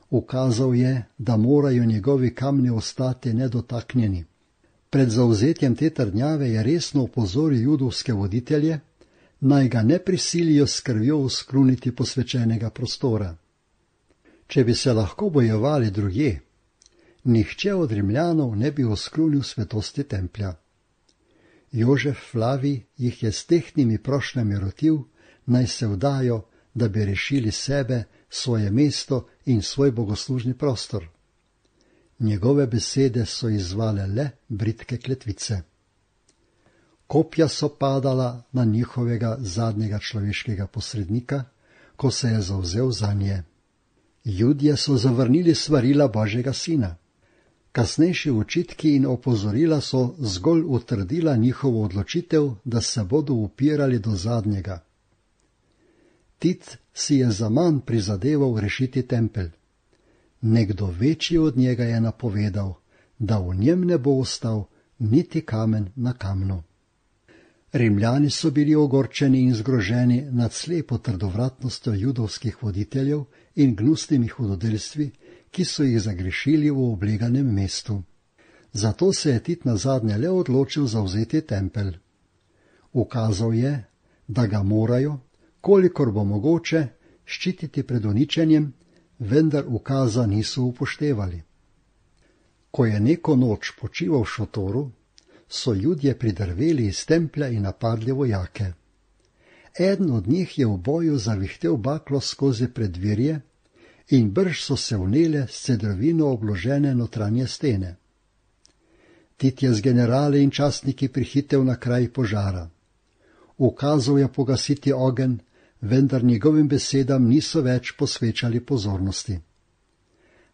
Ukazal je, da morajo njegovi kamni ostati nedotaknjeni. Pred zavzetjem te trdnjave je resno opozoril judovske voditelje, naj ga ne prisilijo s krvjo uskruniti posvečenega prostora. Če bi se lahko bojevali drugje, nihče od Rimljanov ne bi oskrunil svetosti templja. Jožef Flavij jih je s tehtnimi prošnjami rotil, naj se vdajo, da bi rešili sebe, svoje mesto in svoj bogoslužni prostor. Njegove besede so izzvale le bridke kletvice. Kopja so padala na njihovega zadnjega človeškega posrednika, ko se je zavzel zanje. Judje so zavrnili svarila Božjega sina. Kasnejši očitki in opozorila so zgolj utrdila njihovo odločitev, da se bodo upirali do zadnjega. Tit si je zaman prizadeval rešiti tempelj. Nekdo večji od njega je napovedal, da v njem ne bo ostal niti kamen na kamnu. Rimljani so bili ogorčeni in zgroženi nad slepo trdovratnostjo judovskih voditeljev in gnusnimi hudodelstvi, ki so jih zagrešili v obleganem mestu. Zato se je Tit nazadnje le odločil zavzeti tempelj. Ukazal je, da ga morajo, kolikor bo mogoče, ščititi pred uničenjem, vendar ukaza niso upoštevali. Ko je neko noč počival v šotoru, so Judje pridrveli iz templja in napadli vojake. Eden od njih je v boju zavihtel baklo skozi preddverje in brž so se vnele s cedrovino obložene notranje stene. Tit je z generali in častniki prihitel na kraj požara. Ukazal je pogasiti ogenj, vendar njegovim besedam niso več posvečali pozornosti.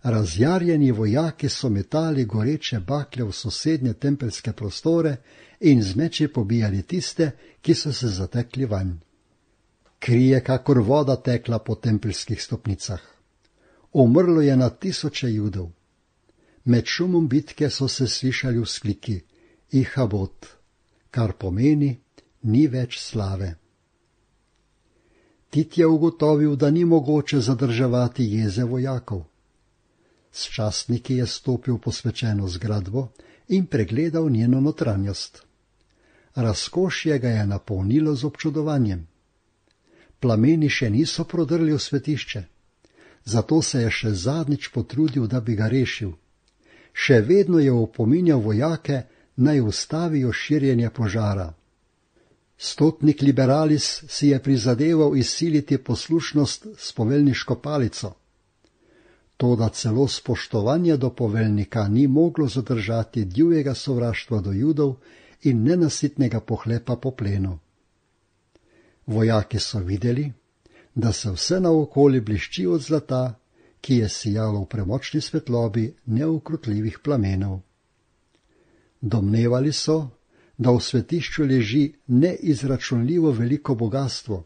Razjarjeni vojaki so metali goreče bakle v sosednje tempeljske prostore in z meči pobijali tiste, ki so se zatekli vanj. Kri je kakor voda tekla po tempeljskih stopnicah. Umrlo je na tisoče Judov. Med šumom bitke so se slišali vzkliki Ihabot, kar pomeni ni več slave. Tit je ugotovil, da ni mogoče zadrževati jeze vojakov. S častniki je stopil v posvečeno zgradbo in pregledal njeno notranjost. Razkošje ga je napolnilo z občudovanjem. Plameni še niso prodrli v svetišče, zato se je še zadnjič potrudil, da bi ga rešil. Še vedno je opominjal vojake, naj ustavijo širjenje požara. Stotnik Liberalis si je prizadeval izsiliti poslušnost s poveljniško palico. Toda celo spoštovanje do poveljnika ni moglo zadržati divjega sovraštva do Judov in nenasitnega pohlepa po plenu. Vojaki so videli, da se vse naokoli blišči od zlata, ki je sijalo v premočni svetlobi neukrotljivih plamenov. Domnevali so, da v svetišču leži neizračunljivo veliko bogastvo,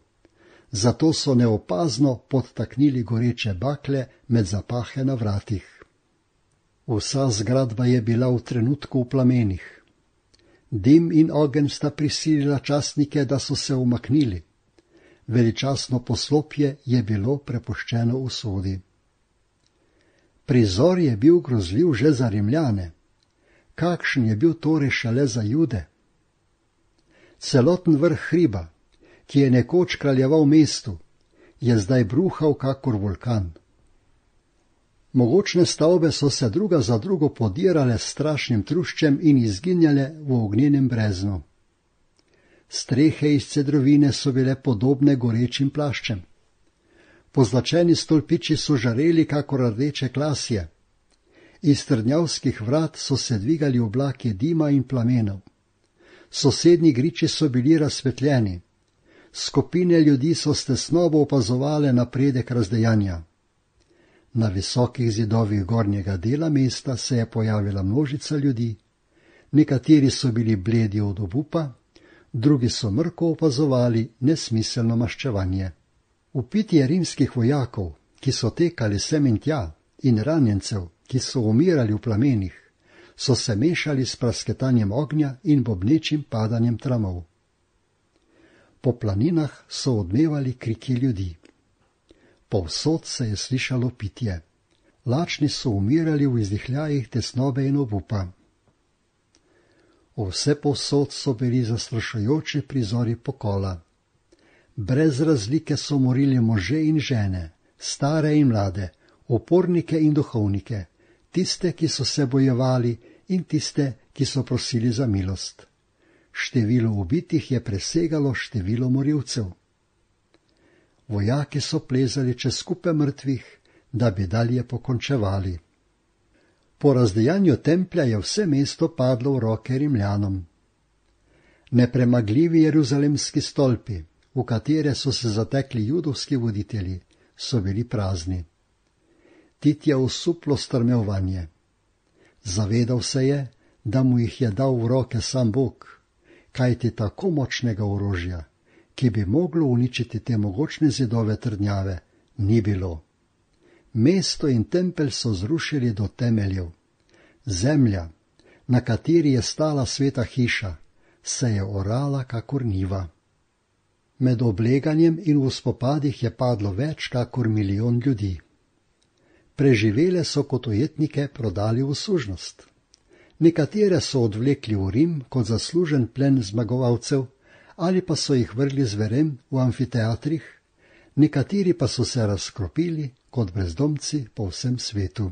zato so neopazno podtaknili goreče bakle med zapahe na vratih. Vsa zgradba je bila v trenutku v plamenih. Dim in ogenj sta prisilila častnike, da so se umaknili. Veličastno poslopje je bilo prepuščeno usodi. Prizor je bil grozljiv že za Rimljane. Kakšen je bil torej šele za Jude? Celoten vrh hriba, ki je nekoč kraljeval mestu, je zdaj bruhal kakor vulkan. Mogočne stavbe so se druga za drugo podirale s strašnim truščem in izginjale v ognjenem breznu. Strehe iz cedrovine so bile podobne gorečim plaščem. Pozlačeni stolpiči so žareli kakor rdeče klasje. Iz trdnjavskih vrat so se dvigali oblaki dima in plamenov. Sosednji griči so bili razsvetljeni. Skupine ljudi so s tesnobo opazovale napredek razdejanja. Na visokih zidovih gornjega dela mesta se je pojavila množica ljudi, nekateri so bili bledi od obupa, drugi so mrko opazovali nesmiselno maščevanje. Vpitje rimskih vojakov, ki so tekali sem in tja, in ranjencev, ki so umirali v plamenih, so se mešali s prasketanjem ognja in bobnečim padanjem tramov. Po planinah so odmevali kriki ljudi. Povsod se je slišalo pitje. Lačni so umirali v izdihljajih tesnobe in obupa. Vse povsod so bili zastrašujoči prizori pokola. Brez razlike so morili može in žene, stare in mlade, upornike in duhovnike, tiste, ki so se bojevali in tiste, ki so prosili za milost. Število ubitih je presegalo število morilcev. Vojaki so plezali čez kupe mrtvih, da bi dalje pokončevali. Po razdejanju templja je vse mesto padlo v roke Rimljanom. Nepremagljivi jeruzalemski stolpi, v katere so se zatekli judovski voditelji, so bili prazni. Tit je osuplo strmel vanje. Zavedal se je, da mu jih je dal v roke sam Bog, kajti tako močnega orožja, ki bi moglo uničiti te mogočne zidove trdnjave, ni bilo. Mesto in tempelj so zrušili do temeljev. Zemlja, na kateri je stala sveta hiša, se je orala kakor njiva. Med obleganjem in v spopadih je padlo več kakor 1 milijon ljudi. Preživele so kot ujetnike prodali v služnost. Nekatere so odvlekli v Rim kot zaslužen plen zmagovalcev, ali pa so jih vrgli zverem v amfiteatrih, nekateri pa so se razkropili kot brezdomci po vsem svetu.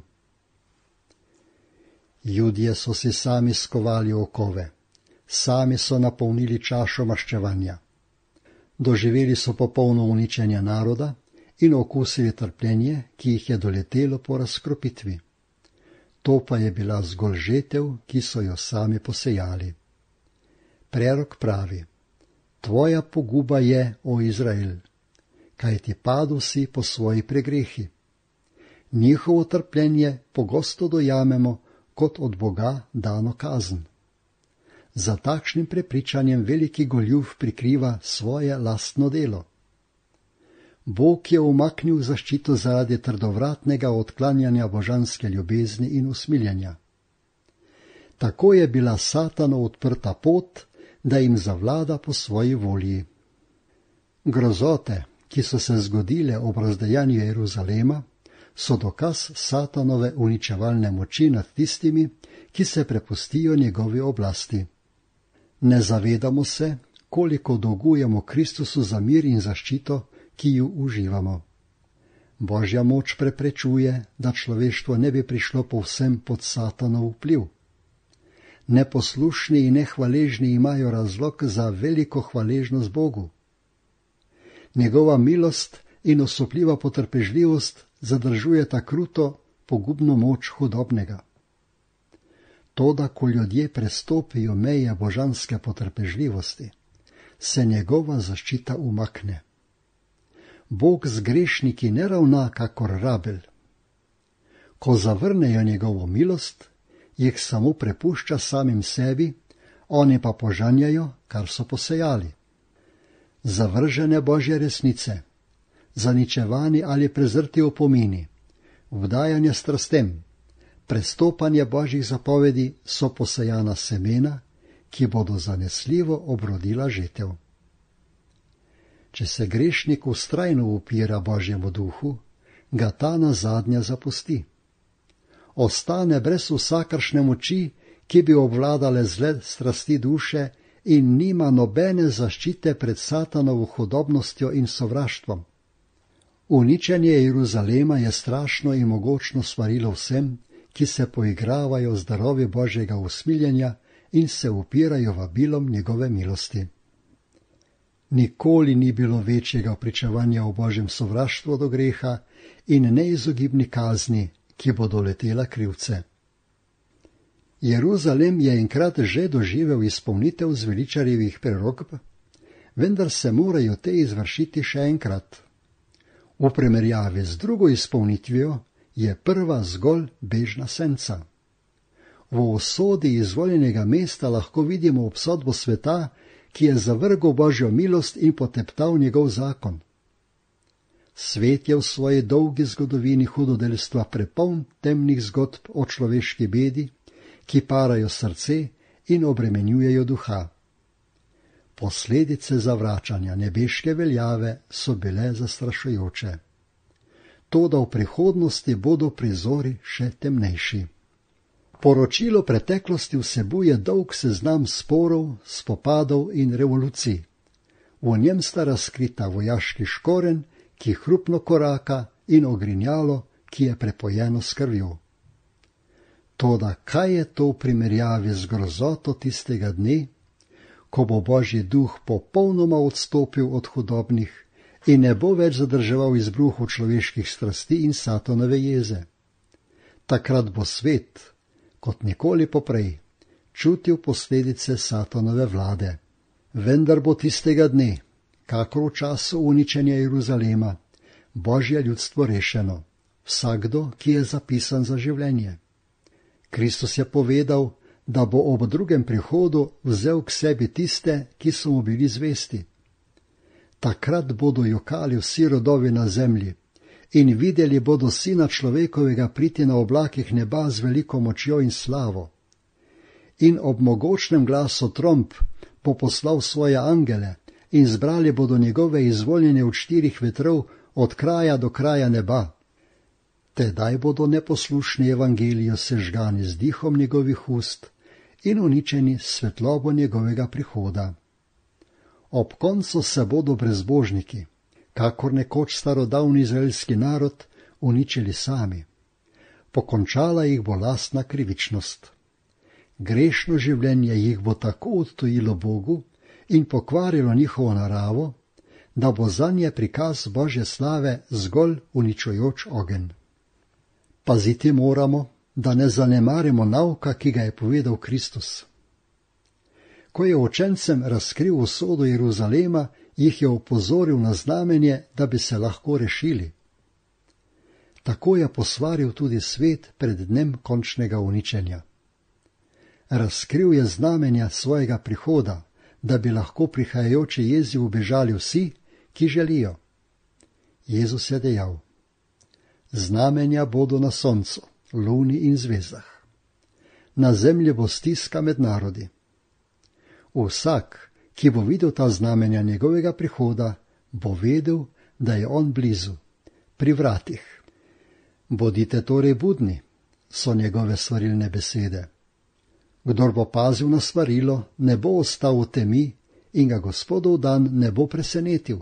Judje so si sami skovali okove, sami so napolnili čašo maščevanja. Doživeli so popolno uničenje naroda in okusili trpljenje, ki jih je doletelo po razkropitvi. To pa je bila zgolj žetev, ki so jo sami posejali. Prerok pravi: Tvoja poguba je, o Izrael, kaj ti padel si po svoji pregrehi. Njihovo trpljenje pogosto dojamemo kot od Boga dano kazen. Za takšnim prepričanjem veliki goljuf prikriva svoje lastno delo. Bog je umaknil zaščito zaradi trdovratnega odklanjanja božanske ljubezni in usmiljenja. Tako je bila Satanu odprta pot, da jim zavlada po svoji volji. Grozote, ki so se zgodile ob razdejanju Jeruzalema, so dokaz Satanove uničevalne moči nad tistimi, ki se prepustijo njegovi oblasti. Ne zavedamo se, koliko dolgujemo Kristusu za mir in zaščito, ki ju uživamo. Božja moč preprečuje, da človeštvo ne bi prišlo povsem pod Satanov vpliv. Neposlušni in nehvaležni imajo razlog za veliko hvaležnost Bogu. Njegova milost in osupljiva potrpežljivost zadržujeta kruto, pogubno moč hudobnega. Toda, ko ljudje prestopijo meje božanske potrpežljivosti, se njegova zaščita umakne. Bog z grešniki ne ravna kakor rabelj. Ko zavrnejo njegovo milost, jih samo prepušča samim sebi, oni pa požanjajo, kar so posejali. Zavržene Božje resnice, zaničevani ali prezrti opomini, vdajanje strastem, prestopanje Božjih zapovedi so posejana semena, ki bodo zanesljivo obrodila žetev. Če se grešnik vztrajno upira Božjemu duhu, ga ta nazadnje zapusti. Ostane brez vsakršne moči, ki bi obvladale zle strasti duše in nima nobene zaščite pred Satanovo hudobnostjo in sovraštvom. Uničenje Jeruzalema je strašno in mogočno svarilo vsem, ki se poigravajo z darovi Božjega usmiljenja in se upirajo vabilom njegove milosti. Nikoli ni bilo večjega pričevanja o Božjem sovraštvu do greha in neizogibni kazni, ki bo doletela krivce. Jeruzalem je enkrat že doživel izpolnitev zveličarjevih prerokb, vendar se morajo te izvršiti še enkrat. V primerjavi z drugo izpolnitvijo je prva zgolj bežna senca. V usodi izvoljenega mesta lahko vidimo obsodbo sveta, ki je zavrgel Božjo milost in poteptal njegov zakon. Svet je v svoji dolgi zgodovini hudodelstva prepoln temnih zgodb o človeški bedi, ki parajo srce in obremenjujejo duha. Posledice zavračanja nebeške veljave so bile zastrašujoče. Toda v prihodnosti bodo prizori še temnejši. Poročilo preteklosti vsebuje dolg seznam sporov, spopadov in revolucij. V njem sta razkrita vojaški škorenj, ki hrupno koraka, in ogrinjalo, ki je prepojeno s krvjo. Toda kaj je to v primerjavi z grozoto tistega dne, ko bo Božji duh popolnoma odstopil od hudobnih in ne bo več zadrževal izbruhov človeških strasti in Satanove jeze? Takrat bo svet, kot nikoli poprej, čutil posledice Satanove vlade. Vendar bo tistega dne, kakor v času uničenja Jeruzalema, Božje ljudstvo rešeno, vsakdo, ki je zapisan za življenje. Kristus je povedal, da bo ob drugem prihodu vzel k sebi tiste, ki so mu bili zvesti. Takrat bodo jokali vsi rodovi na zemlji in videli bodo Sina človekovega priti na oblakih neba z veliko močjo in slavo. In ob mogočnem glasu tromb bo poslal svoje angele in zbrali bodo njegove izvoljene od 4 vetrov od kraja do kraja neba. Tedaj bodo neposlušni evangelijo sežgani z dihom njegovih ust in uničeni s svetlobo njegovega prihoda. Ob koncu se bodo brezbožniki, kakor nekoč starodavni izraelski narod, uničili sami. Pokončala jih bo lastna krivičnost. Grešno življenje jih bo tako odtujilo Bogu in pokvarilo njihovo naravo, da bo zanje prikaz Božje slave zgolj uničujoč ogenj. Paziti moramo, da ne zanemarimo nauka, ki ga je povedal Kristus. Ko je učencem razkril usodo Jeruzalema, jih je opozoril na znamenje, da bi se lahko rešili. Tako je posvaril tudi svet pred dnem končnega uničenja. Razkril je znamenja svojega prihoda, da bi lahko prihajajoči jezi ubežali vsi, ki želijo. Jezus je dejal: znamenja bodo na soncu, luni in zvezdah. Na zemlji bo stiska med narodi. Vsak, ki bo videl ta znamenja njegovega prihoda, bo vedel, da je on blizu, pri vratih. Bodite torej budni, so njegove svarilne besede. Kdor bo pazil na svarilo, ne bo ostal v temi in ga Gospodov dan ne bo presenetil.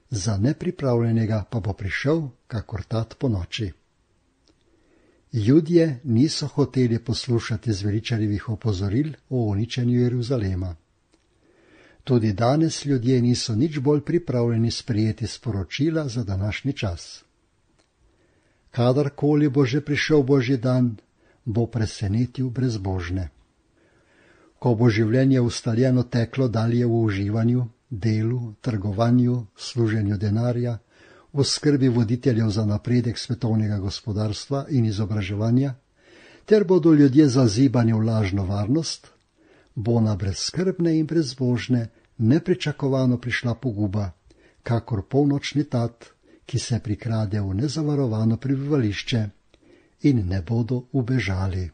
Za nepripravljenega pa bo prišel, kakor tat po noči. Judje niso hoteli poslušati zveličarjevih opozoril o uničenju Jeruzalema. Tudi danes ljudje niso nič bolj pripravljeni sprejeti sporočila za današnji čas. Kadarkoli bo že prišel Božji dan, bo presenetil brezbožne. Ko bo življenje ustaljeno teklo dalje v uživanju, delu, trgovanju, služenju denarja, v skrbi voditeljev za napredek svetovnega gospodarstva in izobraževanja, ter bodo ljudje zazibani v lažno varnost, bo na brezskrbne in brezbožne nepričakovano prišla poguba, kakor polnočni tat, ki se prikrade v nezavarovano prebivališče, in ne bodo ubežali.